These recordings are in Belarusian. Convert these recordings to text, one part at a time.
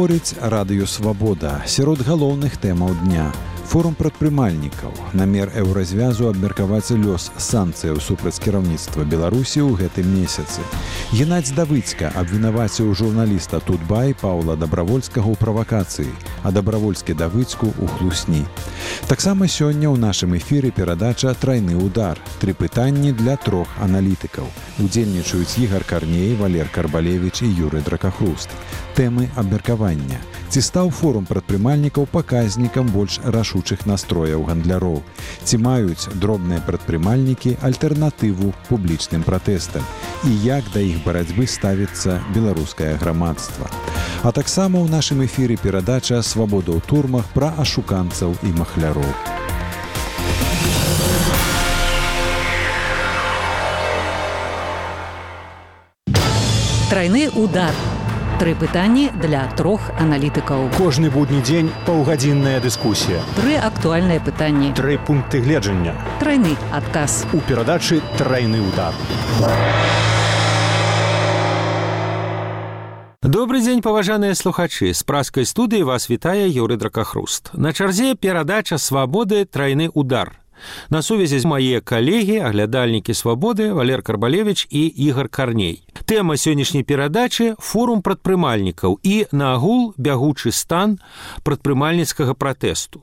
Гаворыць Радыё Свабода. Сярод галоўных тэмаў дня. Форум прадпрымальнікаў. Намер еўразвязу абмеркаваць лёс санкцыяў супраць кіраўніцтва Беларусі ў гэтым месяцы. Геннадзь Давыцька абвінаваціў журналіста Тутбай Паўла Дабравольскага ў правакацыі, а Дабравольскі Давыцьку ў хлусні. Таксама сёння ў нашым эфіры перадача «Трайны удар». 3 пытанні для 3 аналітыкаў. Удзельнічаюць Ігар Карней, Валер Карбалевіч і Юрый Дракахруст. Тэмы абмеркавання. Ці стаў форум прадпрымальнікаў паказнікам больш рашучых настрояў гандляроў? Ці маюць дробныя прадпрымальнікі альтэрнатыву публічным пратэстам? І як да іх барацьбы ставіцца беларускае грамадства? А таксама ў нашым эфіры перадача «Свабода ў турмах» пра ашуканцаў і махляроў. Трайны удар. 3 пытанні для 3 аналітыкаў. Кожны будні дзень паўгадзінная дыскусія. 3 актуальныя пытанні. 3 пункты гледжання. Трайны адказ. У перадачы «Трайны удар». Добрый дзень, паважаныя слухачы. З праскай студыі вас вітае Юрый Дракахруст. На чарзе перадача «Свабоды. Трайны удар». На сувязі мае калегі, аглядальнікі «Свабоды» Валер Карбалевіч і Ігар Карней. Тэма сённяшняй перадачы – форум прадпрымальнікаў і, наагул, бягучы стан прадпрымальніцкага пратэсту.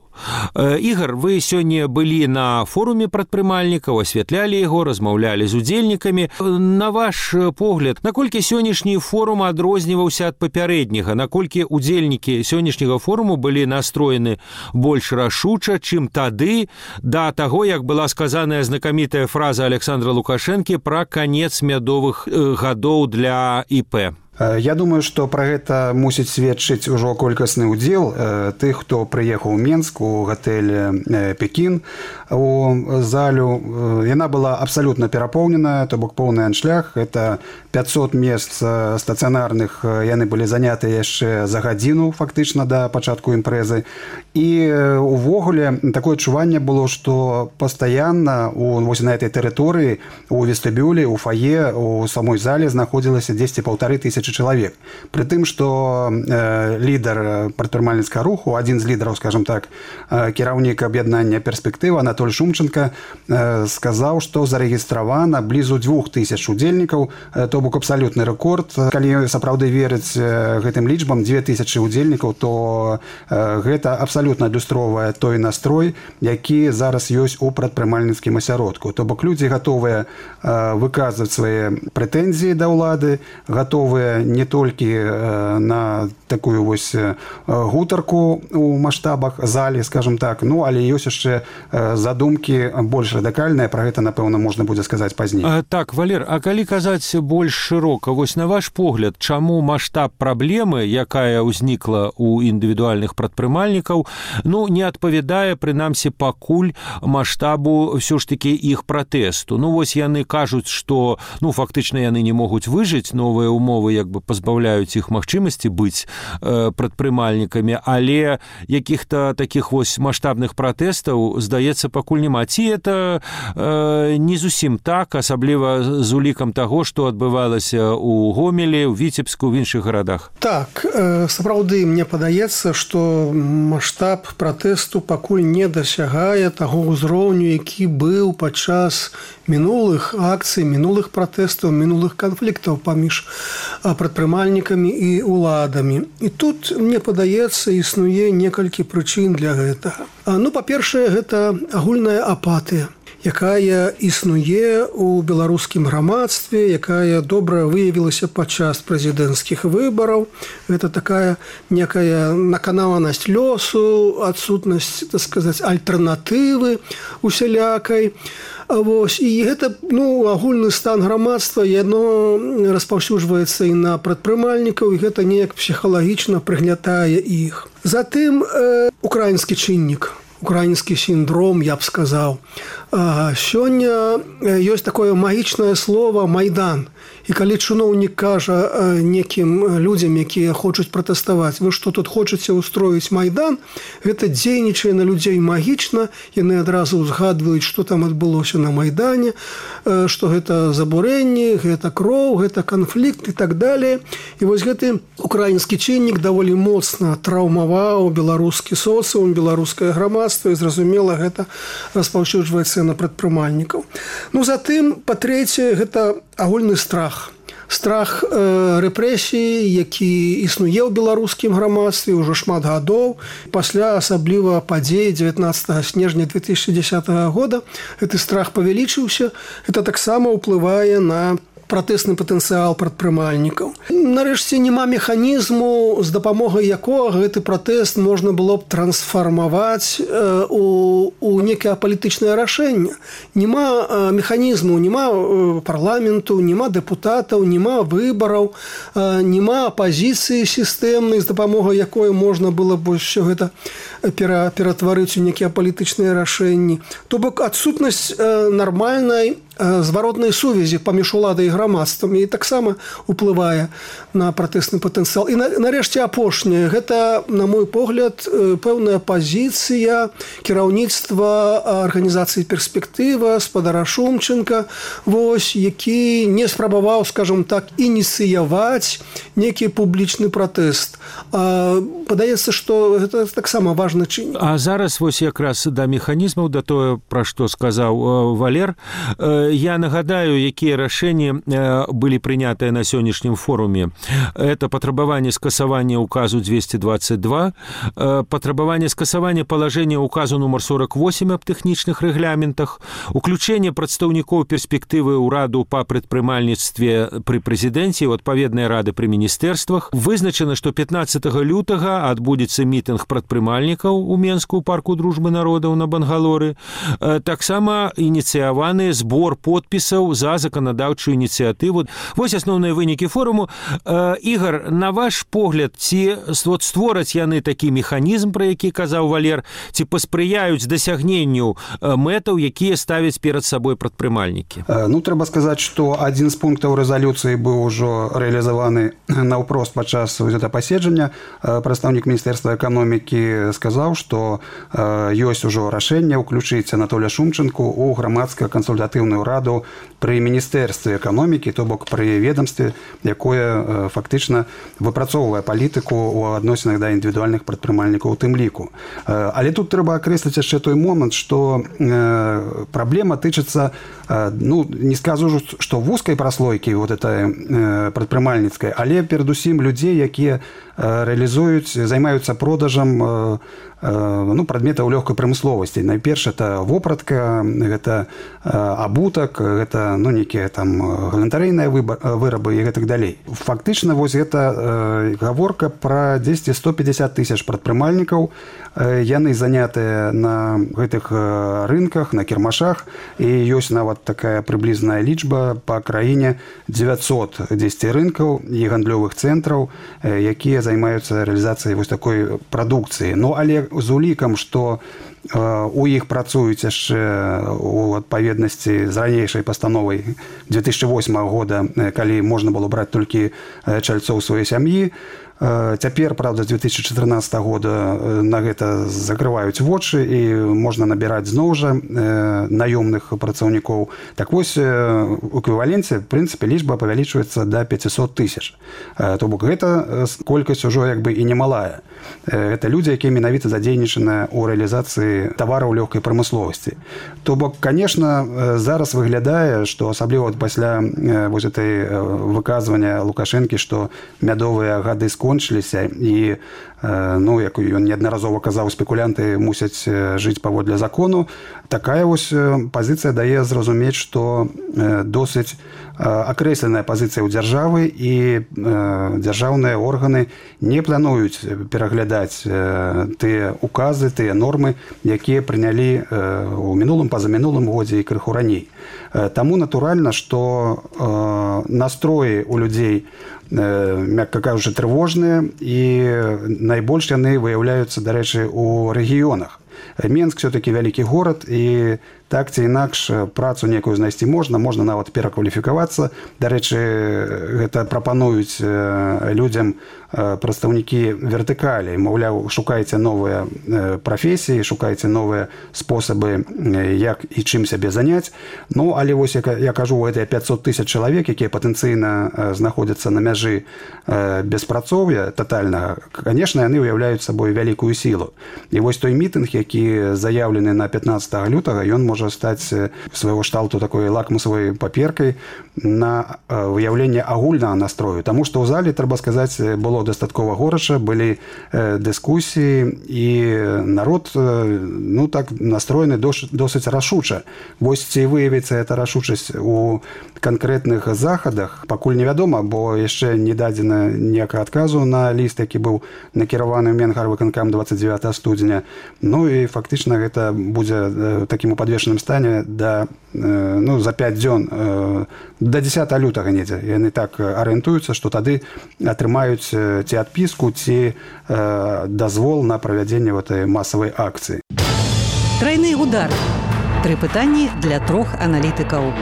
Ігар, вы сёння былі на форуме прадпрымальнікаў, асвятлялі яго, размаўлялі з удзельнікамі. На ваш погляд, наколькі сённяшні форум адрозніваўся ад папярэдняга? Наколькі удзельнікі сённяшняга форуму былі настроены больш рашуча, чым тады, да таго, як была сказаная знакамітая фраза Александра Лукашэнкі пра канец мядовых гадоў для ІП? Я думаю, што пра гэта мусіць сведчыць ужо колькасны ўдзел тых, хто прыехаў у Менск, у гатэль «Пекін». У залю яна была абсалютна перапоўненая, то бок поўны аншлаг. Это 500 месц стацыянарных, яны былі занятыя яшчэ за гадзіну, фактычна, да пачатку імпрэзы. І увогуле такое адчуванне было, што пастаянна вось на этой тэрыторыі, у вестыбюлі, у фае, у самой зале знаходзілася 10-1500 чалавек. Пры тым, што лідар прадпрымальніцкага руху, адзін з лідараў, скажем так, кіраўнік аб'яднання «Перспектыва» Анатоль Шумченко сказаў, што зарэгістравана блізу 2000 удзельнікаў, то бок абсалютны рэкорд. Калі сапраўды верыць гэтым лічбам, 2000 удзельнікаў, то гэта абсалютна адлюстроўвае той настрой, які зараз ёсць у прадпрымальніцкім асяродку. То бок людзі гатовыя выказваць свае прэтэнзіі да ўлады, гатовыя не толькі на такую вось гутарку у маштабах залі, скажем так, ну, але ёсць яшчэ задумкі больш радыкальныя, пра гэта, напэўна, можна будзе сказаць пазней. Так, Валер, а калі казаць больш шырока, вось на ваш погляд, чаму маштаб праблемы, якая ўзнікла ў індывідуальных прадпрымальнікаў, ну, не адпавядае, прынамсі, пакуль маштабу ўсё ж такі іх пратэсту? Ну, вось яны кажуць, што, ну, фактычна яны не могуць выжыць, новыя умовы як бы пазбаўляюць іх магчымасці быць прадпрымальнікамі, але якіх-то такіх вось маштабных пратэстаў, здаецца, пакуль няма. Ці это не зусім так, асабліва з улікам таго, што адбывалася ў Гомелі, ў Віцебску, в іншых гарадах? Так, сапраўды, мне падаецца, што маштаб пратэсту пакуль не дасягае таго ўзроўню, які быў падчас мінулых акцый, мінулых пратэстаў, мінулых канфліктаў паміж прадпрымальнікамі і ўладамі. І тут, мне падаецца, існуе некалькі прычын для гэтага. Ну, па-першае, гэта агульная апатыя, якая існуе ў беларускім грамадстве, якая добра выявілася падчас прэзідэнцкіх выбараў. Гэта такая некая наканаванасць лёсу, адсутнасць, так сказаць, альтэрнатывы усялякай. Вось, і гэта, ну, агульны стан грамадства, яно распаўсюджваецца і на прадпрымальнікаў, і гэта неяк псіхалагічна прыгнятае іх. Затым украінскі чыннік. украінскі сіндром, я б сказаў. Сёння ёсць такое магічнае слово «майдан». І калі чыноўнік кажа некім людзям, якія хочуць пратэставаць, вы што тут хочаце ўстроіць майдан, гэта дзейнічае на людзей магічна, яны адразу ўзгадваюць, што там адбылося на майдане, што гэта забурэнні, гэта кроў, гэта канфлікт і так далее. І вось гэты украінскі чыннік даволі моцна траўмаваў беларускі соцыум, беларускае грамадства, і зразумела, гэта распаўсюджваецца на прадпрымальнікаў. Ну, затым, па-трэцяе, гэта агульны страх. Страх рэпрэсіі, які існуе ў беларускім грамадстве ўжо шмат гадоў. Пасля асабліва падзей 19 снежня 2010 года гэты страх павялічыўся. Гэта таксама ўплывае на пратэсны патэнцыял прадпрымальнікаў. Нарэшце, няма механізму, з дапамогай якога гэты пратэст можна было б трансфармаваць у некае палітычнае рашэнне. Няма механізму, няма парламенту, няма дэпутатаў, няма выбараў, няма апазіцыі сістэмнай, з дапамогай якой можна было б ўсё гэта ператварыць у некія палітычныя рашэнні. То бок адсутнасць нармальнай зваротнай сувязі паміж уладай і грамадствам і таксама ўплывае на пратэсны патэнцыял. І нарэшце апошняе, гэта, на мой погляд, пэўная пазіцыя кіраўніцтва арганізацыі «Перспектыва», спадара Шумченка, вось, які не спрабаваў, скажем так, ініцыяваць некі публічны пратэст. Падаецца, што гэта таксама важны чыннік. А зараз вось якраз да механізмаў, да тое, пра што сказаў Валер, я нагадаю, якія рашэнні былі прынятыя на сённяшнім форуме. Это патрабаванне скасавання указу 222, патрабаванне скасавання палажэння указу нумар 48 аб тэхнічных рэгламентах, уключэнне прадстаўнікоў перспектывы ўраду па прадпрымальніцтве пры прэзідэнце і адпаведныя рады пры міністэрствах. Вызначана, што 15 лютага адбудзецца мітынг прадпрымальнікаў у Менску ў парку дружбы народаў на Бангалоры. Таксама ініцыяваны збор подпісаў за заканадаўчую ініцыятыву. Вось асноўныя вынікі форуму. Ігор, на ваш погляд, ці створаць яны такі механізм, пра які казаў Валер, ці паспрыяюць дасягненню мэтаў, якія ставяць перад сабой прадпрымальнікі? Ну, трэба сказаць, што адзін з пунктаў рэзалюцыі быў ужо рэалізаваны наўпрост падчас гэта паседжання. Прадстаўнік Міністэрства эканомікі сказаў, што ёсць ужо рашэнне ўключыць Анатолія Шумченку ў грамадска-кансультатыўную раду пры міністэрстве эканомікі, то бок пры ведомстве, якое фактычна выпрацоўвае палітыку ў адносінах да індывідуальных прадпрымальнікаў у тым ліку. Але тут трэба акрэсліць яшчэ той момант, што праблема тычыцца, ну, не скажу, што вузкай праслойкі вот этой прадпрымальніцкай, але перадусім людзей, якія рэалізуюць, займаюцца продажам прадметаў лёгкай прамысловасці. Найперш, это вопратка, гэта абутак, гэта некія там галантарыйныя вырабы і гэтак далей. Фактычна, вось гэта гаворка пра 150 тысяч прадпрымальнікаў. Яны занятыя на гэтых рынках, на кірмашах, і ёсць нават такая прыблізная лічба па краіне 910 рынкаў і гандлёвых цэнтраў, якія займаюцца рэалізацыяй вось такой прадукцыі. Ну, але з улікам, што у іх працуюць яшчэ у адпаведнасці з ранейшай пастановай 2008 года, калі можна было браць толькі чальцоў сваёй сям'і. Цяпер, правда, з 2014 года на гэта закрываюць вочы і можна набіраць зноў жа наёмных працаўнікоў. Так вось, у эквіваленце, в прынцыпе, лічба павялічваецца да 500 тысяч. То бок гэта колькасць ужо як бы і немалая. Гэта людзі, якія менавіта задзейнічаны ў рэалізацыі тавараў лёгкай прамысловасці. То бок, конечно, зараз выглядае, што асабліва пасля вось этой выказвання Лукашэнкі, што мядовыя гады скончыліся і, як ён неаднаразова казаў, спекулянты мусяць жыць паводле закону, такая вось пазіцыя дае зразумець, што досыць акрэсленая пазіцыя ў дзяржавы, і дзяржаўныя органы не плануюць пераглядаць тыя указы, тыя нормы, якія прынялі ў мінулым, пазамінулым годзе і крыху раней. Таму натуральна, што настроі у людзей, мякка кажучы, трывожныя, і найбольш яны выяўляюцца, дарэчы, у рэгіёнах. Менск все-таки вялікі горад, і так ці інакш працу некую знайсці можна нават перакваліфікавацца. Дарэчы, гэта прапануюць людзям прадстаўнікі вертыкалі. Маўляў, шукайце новыя прафесіі, шукайце новыя спосабы, як і чым сябе заняць. Ну, але вось, я кажу, гэтыя 500 тысяч чалавек, якія патэнцыйна знаходзяцца на мяжы беспрацоўя татальнага, конечно, яны ўяўляюць сабой вялікую сілу. І вось той мітынг, які заяўлены на 15 лютага, ён можа стаць свайго шталту такой лакмусавай паперкай на выяўленне агульнага настрою. Таму што ў зале, трэба сказаць, было дастаткова горача, былі дыскусіі, і народ, ну, так настроены досыць рашуча. Вось ці выявіцца эта рашучасць у канкрэтных захадах, пакуль невядома, бо яшчэ не дадзена ніякага адказу на ліст, які быў накіраваны ў Менгарвыканкам 29 студзеня. Ну і фактычна гэта будзе такім падвешаным стане за 5 дзён до 10 лютага недзе. Яны так арыентуюцца, што тады атрымаюць ці адпіску, ці дазвол на правядзенне гэтай масавай акцыі. Трайны удар. 3 пытанні для 3 аналітыкаў.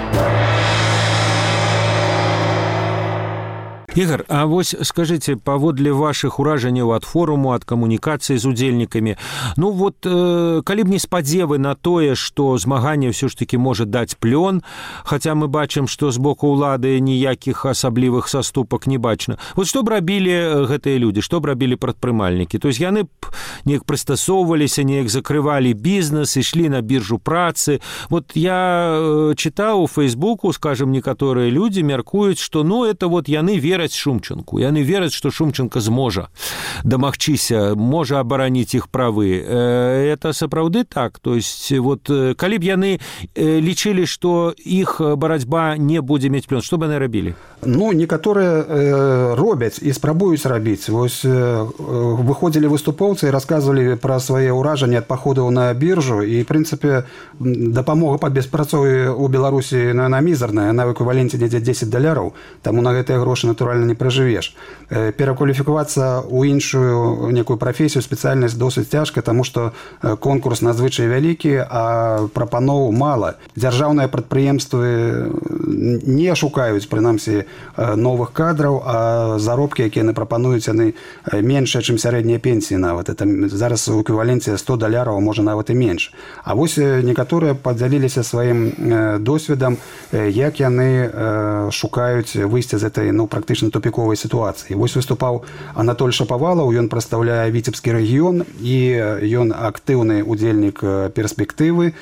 Ігор, а вось скажыце, паводле вашых уражанняў ад форуму, ад камунікацыі з удзельнікамі, ну вот, калі б не спадзевы на тое, што змаганне ўсё ж такі можа даць плён, хаця мы бачым, што з боку ўлады ніякіх асаблівых саступак не бачна. Вот што б рабілі гэтыя людзі, што б рабілі прадпрымальнікі? То есть яны б неяк прыстасоўваліся, неяк закрывалі бізнес, ішлі на біржу працы. Вот я чытаў у Фейсбуку, скажем, некаторыя людзі мяркуюць, што ну это вот яны вераць Шумчанку. Яны вераць, што Шумчанка зможа дамагчыся, можа абараніць іх правы. Это сапраўды так? То есть вот калі б яны лічылі, што іх барацьба не будзе мець плён, што б яны рабілі? Ну, некаторыя робяць і спрабуюць рабіць. Вось выходзілі выступоўцы і расказвалі пра свае ўражанні ад паходаў на біржу, і, в прынцыпе, дапамога па беспрацоўі ў Беларусі, яна мізарная, яна ў эквіваленце недзе $10, таму на гэтыя грошы, натуральна, не пражывеш. Перакваліфікавацца ў іншую некую прафесію, спецыяльнасць досыць цяжка, таму што конкурс надзвычай вялікі, а прапаноў мала. Дзяржаўныя прадпрыемствы не шукаюць, прынамсі, новых кадраў, а заробкі, якія яны прапануюць, яны меншыя, чым сярэднія пенсіі нават. Это зараз у эквіваленце $100, можа нават і менш. А вось некаторыя падзяліліся сваім досведам, як яны шукаюць выйсце з этой, ну, практычна тупіковай сітуацыі. Вось выступаў Анатоль Шапавалаў, ён прадстаўляе Віцебскі рэгіён, і ён актыўны удзельнік перспектывы.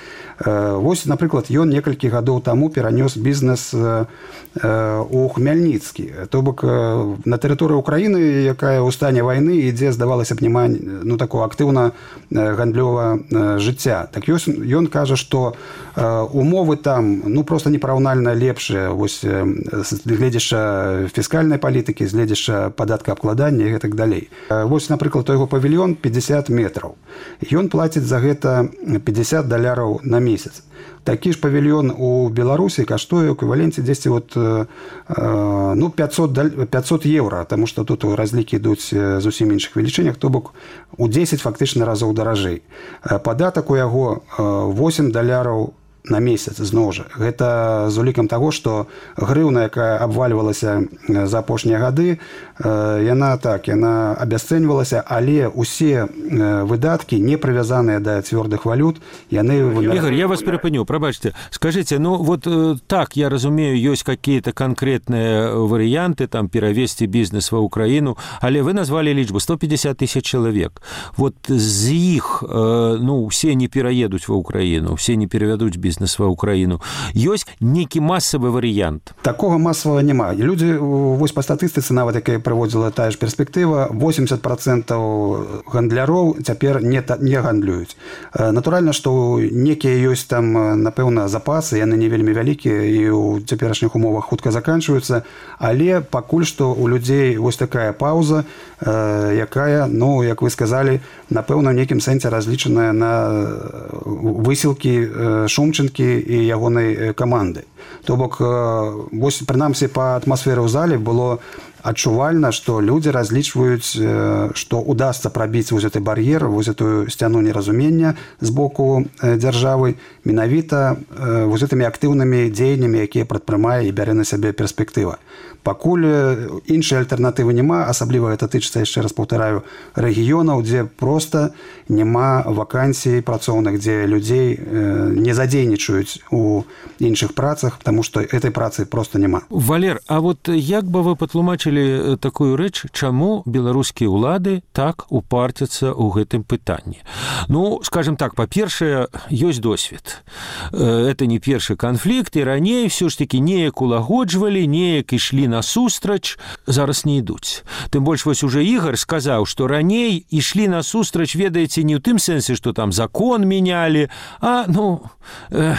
Вось, напрыклад, ён некалькі гадоў таму перанёс бізнес у Хмельніцкі. То бок на тэрыторыі Украіны, якая ў стане вайны, ідзе, здавалася б, няма, ну, такого актыўна гандлёвага жыцця. Так ён кажа, што умовы там, ну, проста непараўнальна лепшыя, вось, гледзяча фіскальнай палітыкі, гледзяча падаткаабкладання і гэтак далей. Вось, напрыклад, той яго павільён 50 метраў. Ён плаціць за гэта $50 на месяц. Такі ж павільён у Беларусі каштуе ў эквіваленце дзесьці вот, ну, 500 евро, таму што тут разлікі ідуць зусім іншых велічынях, то бок у 10 фактычна разоў даражэй. Падатак у яго $8 на месяц, зноў жа. Гэта з улікам таго, што грыўна, якая абвальвалася за апошнія гады, яна абясцэньвалася, але ўсе выдаткі, не прывязаныя да цвёрдых валют, яны... Ігор, я вас перапыню, прабачце. Скажыце, ну вот так, я разумею, ёсць какие-то конкретныя варыянты, там, перавесці бізнес ва Украіну, але вы назвалі лічбу 150 тысяч чалавек. Вот з іх, ну, все не пераедуць ва Украіну, все не перавядуць бізнес ва Украіну. Ёсць нейкі масавы варыянт? Такога масавага няма. Людзі, вось па статыстыцы, нават якая праводзіла тая ж перспектыва, 80% гандляроў цяпер не гандлююць. Натуральна, што некія ёсць там, напэўна, запасы, яны не вельмі вялікія і ў цяперашніх умовах хутка заканчваюцца, але пакуль што у людзей вось такая паўза, якая, ну, як вы сказалі, напэўна, ў нейкім сэнсе разлічаная на высілкі Шумчанкі і ягонай каманды. То бок прынамсі па атмасферы ў зале было адчувальна, што людзі разлічваюць, што удасца прабіць вось гэты бар'ер, вось гэтую сцяну неразумення з боку дзяржавы менавіта вось гэтымі актыўнымі дзеяннямі, якія прадпрымае і бярэ на сябе перспектыва. Пакуль іншай альтэрнатывы няма, асабліва гэта тычыцца, яшчэ раз паўтараю, рэгіёнаў, дзе проста няма вакансій працоўных, дзе людзей не задзейнічаюць у іншых працах, таму што этой працы проста няма. Валер, а вот як бы вы патлумачылі такую рэч, чаму беларускія ўлады так упарцяцца ў гэтым пытанні? Ну, скажем так, па-першае, ёсць досвед. Это не першы канфлікт, і раней все ж таки неяк улагоджвалі, неяк ішлі насустрач, зараз не ідуць. Тым больш вось уже Ігор сказаў, што раней ішлі насустрач, ведаеце, не ў тым сэнсе, што там закон менялі, а,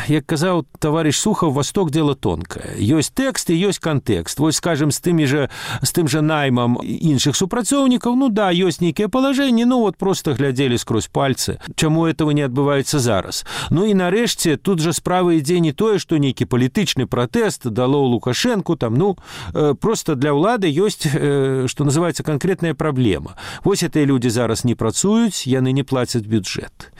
як казаў таварыш Сухаў, Восток дело тонкое. Ёсць тэкст і ёсць кантэкст. Вось, скажем, з тым жа наймам іншых супрацоўнікаў, ёсць нейкія палажэнні, вот просто глядзелі скрозь пальцы. Чаму этого не адбываецца зараз? І нарэшце, тут жа справа ідзе не тое, што нейкі палітычны пратэст дало Лукашэнку, просто для ўлады ёсць, што называецца, канкрэтная праблема. Вось гэтыя людзі зараз не працуюць, яны не плацяць бюджэт.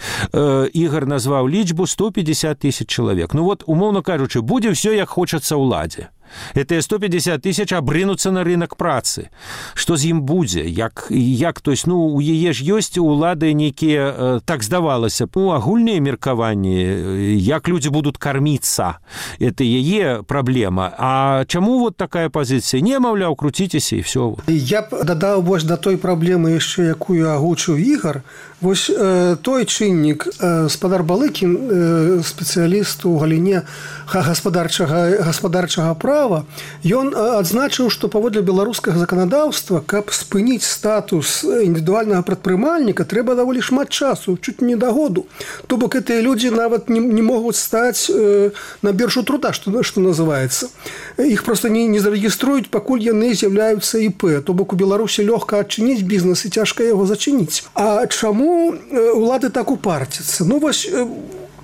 Ігор назваў лічбу 150 тысяч чалавек. Умоўна кажучы, будзе ўсё, як хочацца ўладзе. Гэтыя 150 тысяч абрынуцца на рынок працы. Што з ім будзе? То есть, у яе ж ёсць у ўлады нейкія, так здавалася, агульныя меркаванні, як людзі будуць карміцца. Это яе праблема. А чаму такая пазіцыя? Не, маўляў, круціцеся і все. Я б дадаў вось да той праблемы яшчэ, якую агучыў Ігор. Вось той чыннік, спадар Балыкін, спецыяліст у галіне гаспадарчага права, ён адзначыў, што паводле беларускага заканадаўства, каб спыніць статус індывідуальнага прадпрымальніка, трэба даволі шмат часу, чуць не да году. То бок гэтыя людзі нават не могуць стаць на біржу труда, што называецца. Іх проста не зарэгіструюць, пакуль яны з'яўляюцца ІП. То бок у Беларусі лёгка адчыніць бізнес і цяжка яго зачыніць. А чаму улады так упарцяцца? Вось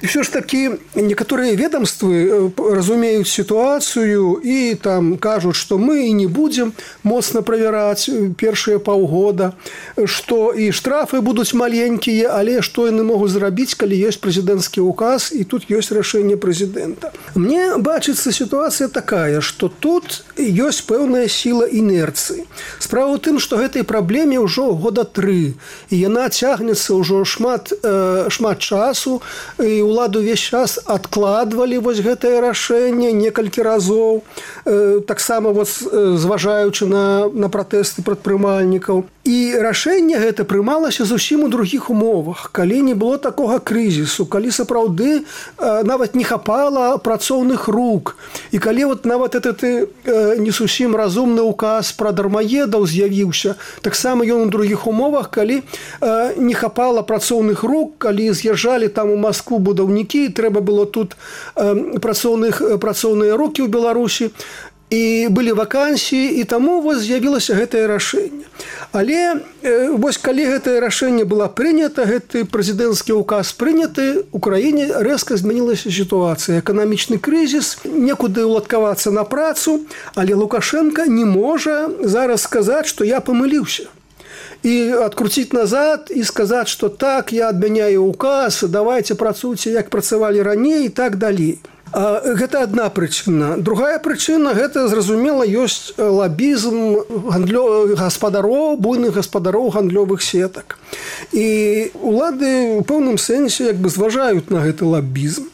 все ж таки некаторыя ведомствы разумеюць сітуацыю і там кажуць, што мы і не будзем моцна правяраць першыя паўгода, што і штрафы будуць маленькія, але што яны могуць зрабіць, калі ёсць прэзідэнцкі ўказ і тут ёсць рашэнне прэзідэнта. Мне бачыцца сітуацыя такая, што тут ёсць пэўная сіла інерцыі. Справа ў тым, што гэтай праблеме ўжо года 3, і яна цягнецца ўжо шмат часу, і уладу ўвесь час адкладвалі вось гэтае рашэнне некалькі разоў, таксама зважаючы на пратэсты прадпрымальнікаў. І рашэнне гэта прымалася зусім у другіх умовах, калі не было такога крызісу, калі сапраўды нават не хапала працоўных рук, і калі нават этот не зусім разумны ўказ пра дармаедаў з'явіўся, таксама ён у другіх умовах, калі не хапала працоўных рук, калі з'язджалі там у Маскву будаўнікі, трэба было тут працоўныя рукі ў Беларусі, і былі вакансіі, і таму з'явілася гэтае рашэнне. Але вось калі гэтае рашэнне было прынята, гэты прэзідэнцкі ўказ прыняты, у краіне рэзка змянілася сітуацыя. Эканамічны крызіс, некуды ўладкавацца на працу, але Лукашенко не можа зараз сказаць, што я памыліўся. І адкруціць назад і сказаць, што так, я адмяняю ўказ, давайце працуйце, як працавалі раней і так далей. Гэта адна прычына. Другая прычына, гэта, зразумела, ёсць лабізм гаспадароў, буйных гаспадароў гандлёвых сетак. І улады ў пэўным сэнсе зважаюць на гэты лабізм.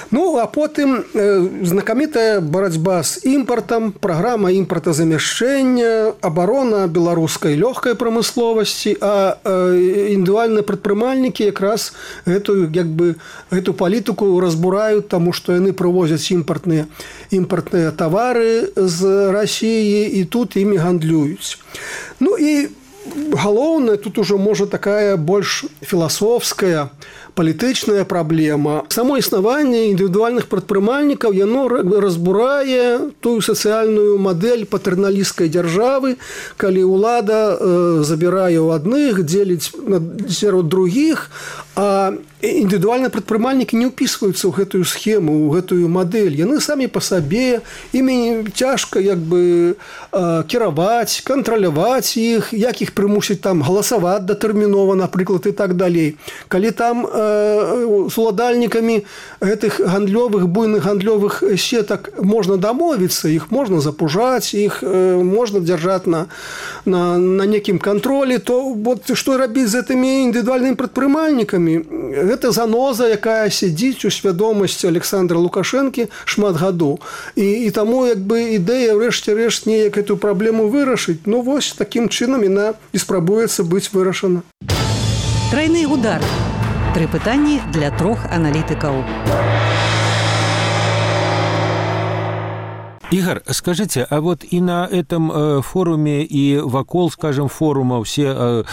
А потым знакамітая барацьба з імпартам, праграма імпартазамяшчэння, абарона беларускай лёгкай прамысловасці, а індывідуальныя прадпрымальнікі якраз гэту палітыку разбураюць, таму што яны прывозяць імпартныя тавары з Расіі і тут імі гандлююць. І галоўнае, тут ужо можа такая больш філасофская палітычная праблема. Само існаванне індывідуальных прадпрымальнікаў яно разбурае тую сацыяльную мадэль патэрналісцкай дзяржавы, калі ўлада забірае ў адных, дзеліць сярод другіх, а індывідуальныя прадпрымальнікі не ўпісваюцца ў гэтую схему, ў гэтую мадэль. Яны самі па сабе, імі цяжка кіраваць, кантраляваць іх, як іх прымусіць там галасаваць датэрмінова, напрыклад, і так далей. Калі там з уладальнікамі гэтых буйных гандлёвых сетак можна дамовіцца, іх можна запужаць, іх можна дзяржаць на некім кантролі, то што рабіць з гэтымі індывідуальнымі прадпрымальнікамі? Гэта заноза, якая сядзіць у свядомасці Александра Лукашэнкі шмат гадоў. І таму ідэя рэшце-рэшт неяк эту праблему вырашыць. Ну вось такім чынам яна і спрабуецца быць вырашана. Тройны удар. 3 пытанні для 3 аналітыкаў. Игорь, скажите, а вот и на этом форуме, и вакол, скажем, форума все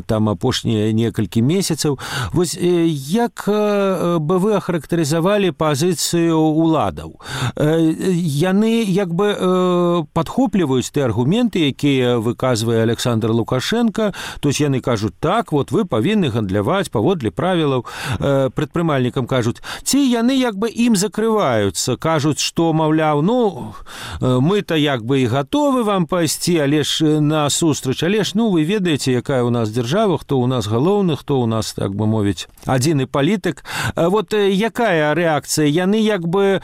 там апошнія некалькі месяцаў, вось як бы вы ахарактарызавалі пазіцыю уладаў? Яны як бы падхопліваюць тыя аргументы, якія выказвае Александр Лукашенко, то есть яны кажуць, так, вот вы павінны гандляваць паводле правілаў, прадпрымальнікам кажуць, ці яны як бы ім закрываюцца, кажуць, што, маўляў, ну, мы-то як бы і гатовы вам пайсці, але ж на сустрач, але ж, ну, вы ведаеце, якая у нас дзяржава, хто у нас галоўны, хто у нас, так бы мовіць, адзіны палітык. Вот якая рэакцыя? Яны як бы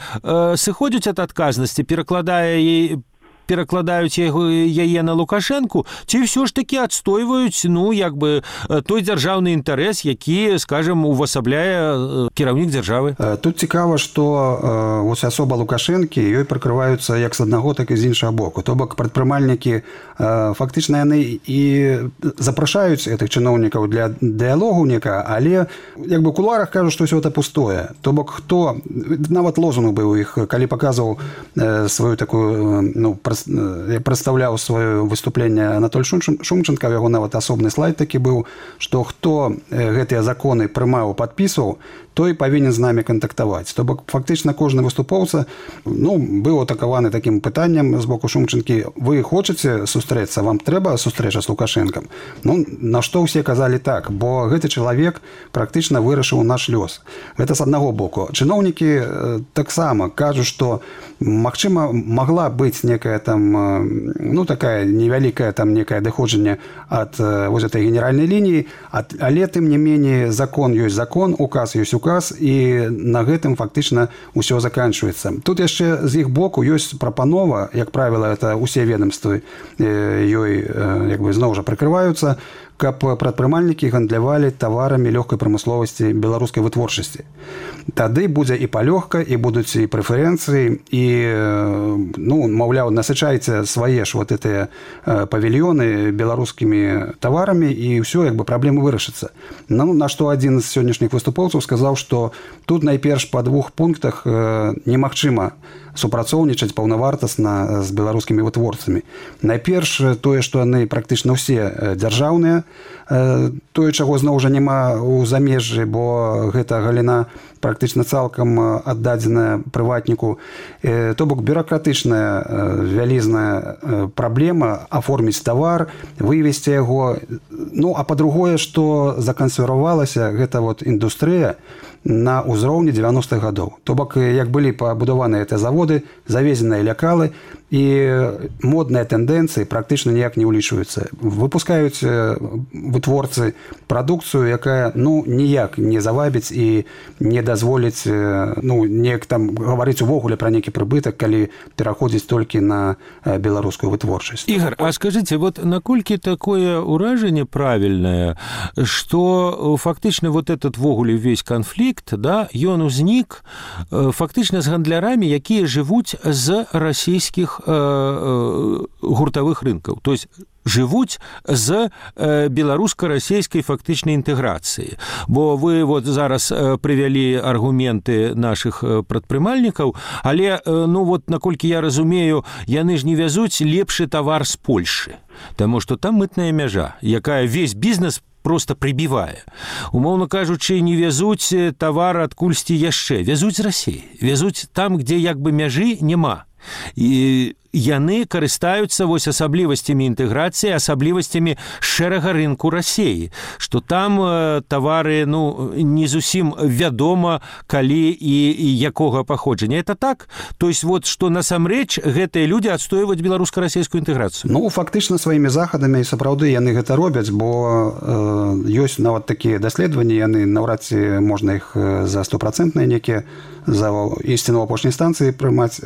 сыходзяць ад адказнасці, перакладаюць яе на Лукашэнку, ці ўсё ж такі адстойваюць, ну, як бы той дзяржаўны інтарэс, які, скажем, увасабляе кіраўнік дзяржавы? Тут цікава, што вось асоба Лукашэнкі, ёй прыкрываюцца як з аднаго, так і з іншага боку. То бок прадпрымальнікі фактычна яны і запрашаюць гэтых чыноўнікаў для дыялогу некага, але як бы ў кулуарах кажуць, што ўсё гэта пустое. То бок хто, нават лозунг быў у іх, калі паказваў сваю такую, ну, прадстаўляў сваё выступленне Анатоль Шумченко, яго нават асобны слайд такі быў, што хто гэтыя законы прымаў, падпісваў, той павінен з намі кантактаваць. То бок фактычна кожны выступоўца, ну, быў атакаваны такім пытаннем з боку Шумченкі: вы хочаце сустрэцца, вам трэба сустрэча з Лукашэнкам? Ну, на што ўсе казалі так, бо гэты чалавек практычна вырашыў наш лёс. Гэта з аднаго боку. Чыноўнікі таксама кажуць, што магчыма магла быць некая там, ну, такая невялікая там некае адыходжанне ад вось этой генеральнай лініі, але тым не меней закон ёсць закон, указ ёсць указ, і на гэтым фактычна ўсё заканчваецца. Тут яшчэ з іх боку ёсць прапанова, як правіла, это усе ведомствы ёй як бы зноў жа прыкрываюцца, каб прадпрымальнікі гандлявалі таварамі лёгкай прамысловасці беларускай вытворчасці. Тады будзе і палёгка, і будуць і прэферэнцыі, і, ну, маўляў, насычайце свае ж вот гэтыя павільёны беларускімі таварамі, і ўсё, як бы праблема вырашыцца. Ну, на што адзін з сённяшніх выступоўцаў сказаў, што тут найперш па 2 пунктах немагчыма супрацоўнічаць паўнавартасна з беларускімі вытворцамі. Найперш тое, што яны практычна ўсе дзяржаўныя, тое, чаго зноў жа няма ў замежжы, бо гэта галіна практычна цалкам аддадзеная прыватніку. То бок бюракратычная вялізная праблема аформіць тавар, вывесці яго. Ну, а па-другое, што закансервавалася гэта вот індустрыя на ўзроўні 90-х гадоў. То бок, як былі пабудаваныя гэтыя заводы, завезеныя лекалы, і модныя тэндэнцыі практычна ніяк не ўлічваюцца. Выпускаюць вытворцы прадукцыю, якая, ну, ніяк не завабіць і не дазволіць, ну, неяк там гаварыць увогуле пра нейкі прыбытак, калі пераходзіць толькі на беларускую вытворчасць. Игорь, а скажите, вот наколькі такое ўражанне правільнае, што фактычна вот этот вогуле весь канфлікт, да, ён узнік фактычна з гандлярамі, якія жывуць з расійскіх гуртавых рынкаў, то есть жывуць з беларуска-расійскай фактычнай інтэграцыі. Бо вы вот зараз прывялі аргументы нашых прадпрымальнікаў, але, ну вот, наколькі я разумею, яны ж не вязуць лепшы тавар з Польшы, таму што там мытная мяжа, якая весь бізнес просто прибівае. Умоўна кажучы, не вязуць тавар адкульсьці яшчэ, вязуць з Расіі, вязуць там, дзе як бы мяжы няма. І яны карыстаюцца вось асаблівасцямі інтэграцыі, асаблівасцямі шэрага рынку Расіі, што там тавары не зусім вядома, калі і якога паходжання. Это так? То есть вот, што насамрэч гэтыя людзі адстойваюць беларуска-расійскую інтэграцыю? Фактычна сваімі захадамі сапраўды яны гэта робяць, бо ёсць нават такія даследаванні, яны наўрад ці можна іх за 100% некія за ісціну апошняй станцыі прымаць.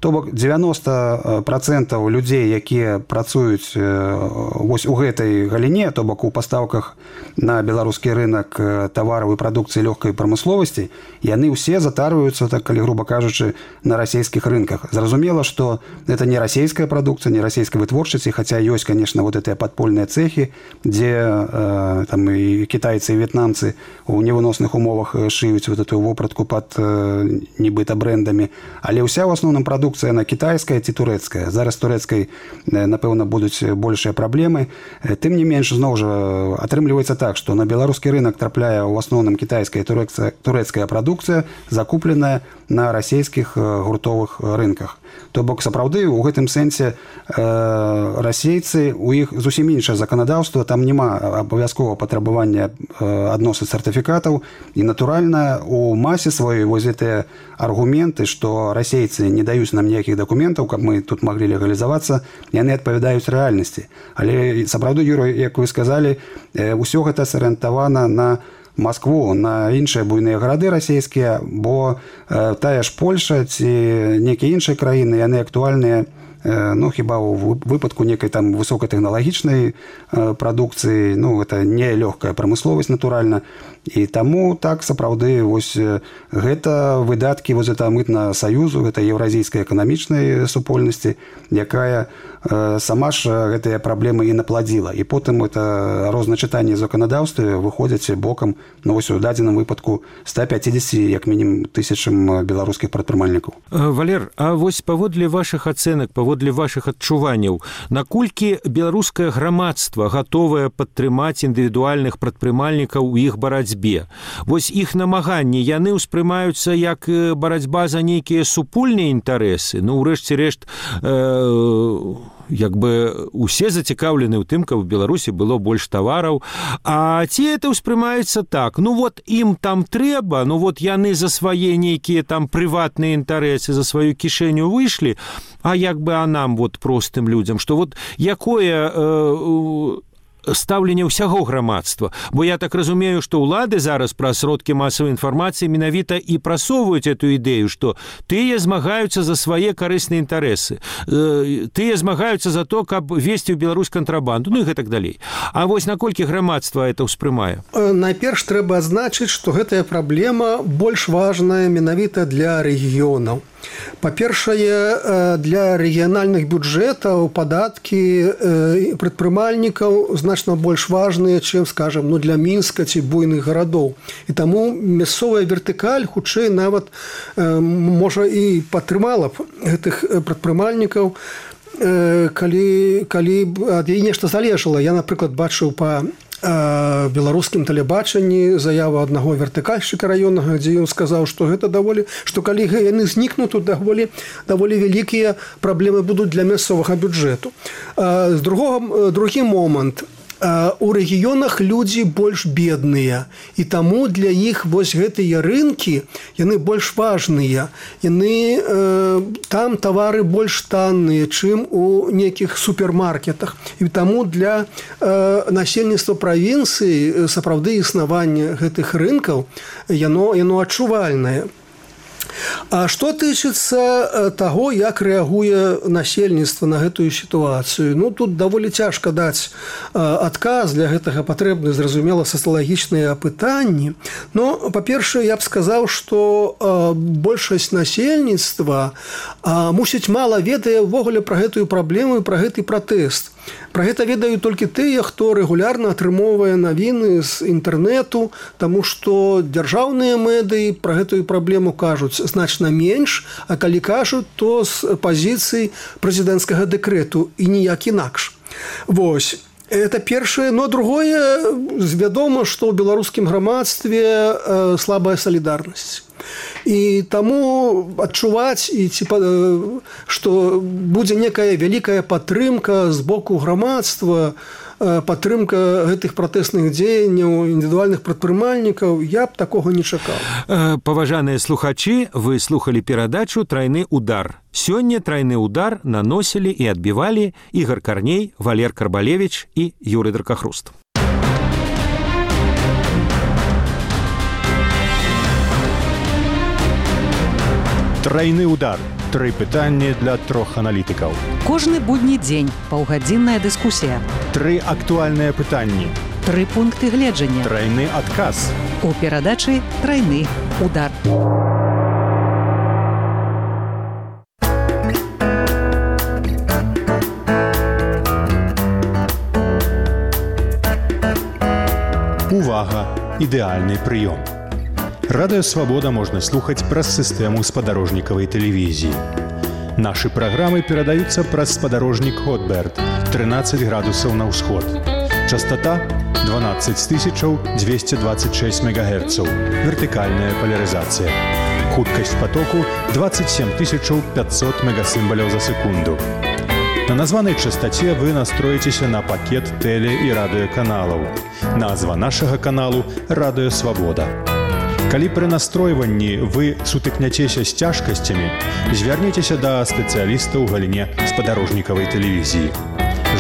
То бок 90% людзей, якія працуюць вось у гэтай галіне, то бок у пастаўках на беларускі рынак тавараў і прадукцыі лёгкай прамысловасці, яны ўсе затарваюцца, так калі груба кажучы, на расійскіх рынках. Зразумела, што это не расійская прадукцыя, не расійскай вытворчасці, хаця ёсць, конечно, вот гэтыя падпольныя цэхі, дзе там і кітайцы, і в'етнамцы у невыносных умовах шыюць вот эту вопратку пад нібыта брэндамі, але ўся ў асноўным прадукцыя на кітайская ці турэцкая. Зараз турэцкай, напэўна, будуць большыя праблемы. Тым не менш, зноў жа, атрымліваецца так, што на беларускі рынак трапляе ў асноўным кітайская і турэцкая прадукцыя, закупленая на расійскіх гуртовых рынках. То бок, сапраўды, у гэтым сэнсе расейцы, у іх зусім іншае заканадаўства, там няма абавязкова патрабавання адносных сертыфікатаў, і, натуральна, у масе сваёй вось гэтыя аргументы, што расейцы не даюць нам ніякіх дакументаў, каб мы тут маглі легалізавацца, яны адпавядаюць рэальнасці. Але, сапраўды, Юрый, як вы сказалі, усё гэта сарыентавана на Маскву, на іншыя буйныя гарады расійскія, бо тая ж Польша ці некія іншыя краіны, яны актуальныя, хіба ў выпадку некай там высокатэхналагічнай прадукцыі, гэта не лёгкая прамысловасць, натуральна. І таму так, сапраўды, вось гэта выдаткі вось гэта мытна саюзу, гэта еўразійскай эканамічнай супольнасці, якая сама ж гэтыя праблемы і напладзіла. І потым это розначытанне заканадаўстве выходзяць бокам, вось у дадзеным выпадку 150, як мінімум, тысячам беларускіх прадпрымальнікаў. Валер, а вось паводле вашых ацэнак, паводле вашых адчуванняў, наколькі беларускае грамадства гатовае падтрымаць індывідуальных прадпрымальнікаў у іх барацьбе? Вось іх намаганні, яны ўспрымаюцца як барацьба за нейкія супольныя інтарэсы? Ўрэшце рэшт, як бы усе зацікаўлены ў тым, каб у Беларусі было больш тавараў, а ці это ўспрымаецца так? Ім там трэба, яны за свае нейкія там прыватныя інтарэсы, за сваю кішэню выйшлі, а як бы нам, простым людзям, што якое стаўленне ўсяго грамадства. Бо я так разумею, што ўлады зараз праз сродкі масавай інфармацыі менавіта і прасоўваюць эту ідэю, што тыя змагаюцца за свае карысныя інтарэсы, тыя змагаюцца за то, каб весці ў Беларусь кантрабанду, і гэтак далей. А вось наколькі грамадства это ўспрымае? Найперш трэба адзначыць, што гэтая праблема больш важная менавіта для рэгіёнаў. Па-першае, для рэгіянальных бюджэтаў падаткі прадпрымальнікаў значна больш важныя, чым, скажам, для Мінска ці буйных гарадоў. І таму мясцовая вертыкаль хутчэй нават можа і падтрымала б гэтых прадпрымальнікаў, калі ад яе нешта залежала. Я, напрыклад, бачыў па беларускім тэлебачанні заяву аднаго вертыкальшчыка раённага, дзе ён сказаў, што гэта што калі яны знікнуць, то даволі вялікія праблемы будуць для мясцовага бюджэту. Другі момант. У рэгіёнах людзі больш бедныя, і таму для іх вось гэтыя рынкі, яны больш важныя. Там тавары больш танныя, чым у нейкіх супермаркетах. І таму для насельніцтва правінцыі сапраўды існаванне гэтых рынкаў, яно адчувальнае. А што тычыцца таго, як рэагуе насельніцтва на гэтую сітуацыю? Тут даволі цяжка даць адказ, для гэтага патрэбны, зразумела, сацыялагічныя апытанні. Но, па-першае, я б сказаў, што большасць насельніцтва мусіць мала ведае ўвогуле пра гэтую праблему і пра гэты пратэст. Пра гэта ведаюць толькі тыя, хто рэгулярна атрымоўвае навіны з інтэрнэту, таму што дзяржаўныя медыі пра гэтую праблему кажуць значна менш, а калі кажуць, то з пазіцыі прэзідэнцкага дэкрэту і ніяк інакш. Вось. Это першае, но другое, вядома, што ў беларускім грамадстве слабая салідарнасць. І таму адчуваць, што будзе некая вялікая падтрымка з боку грамадства, падтрымка гэтых пратэсных дзеянняў індывідуальных прадпрымальнікаў, я б такога не чакаў. Паважаныя слухачы, вы слухалі перадачу «Трайны удар». Сёння «Трайны удар» наносілі і адбівалі Ігор Карней, Валер Карбалевіч і Юрый Дракахруст. Трайны удар. 3 пытанні для 3 аналітыкаў. Кожны будні дзень паўгадзінная дыскусія. 3 актуальныя пытанні. 3 пункты гледжання. Трайны адказ. У перадачы «Трайны удар». Увага! Ідэальны прыём. Радыё Свабода можна слухаць праз сістэму спадарожнікавай тэлевізіі. Нашы праграмы перадаюцца праз спадарожнік Хотберт 13 градусаў на ўсход. Частата 12226 МГц. Вертыкальная палярызацыя. Хуткасць патоку 27500 мегасімбаляў за секунду. На названай частаце вы настроіцеся на пакет тэле- і радыёканалаў. Назва нашага каналу «Радыё Свабода». Калі пры настройванні вы сутыкняцеся з цяжкасцямі, звярніцеся да спецыяліста ў галіне спадарожнікавай тэлевізіі.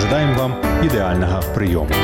Жадаем вам ідэальнага прыёму.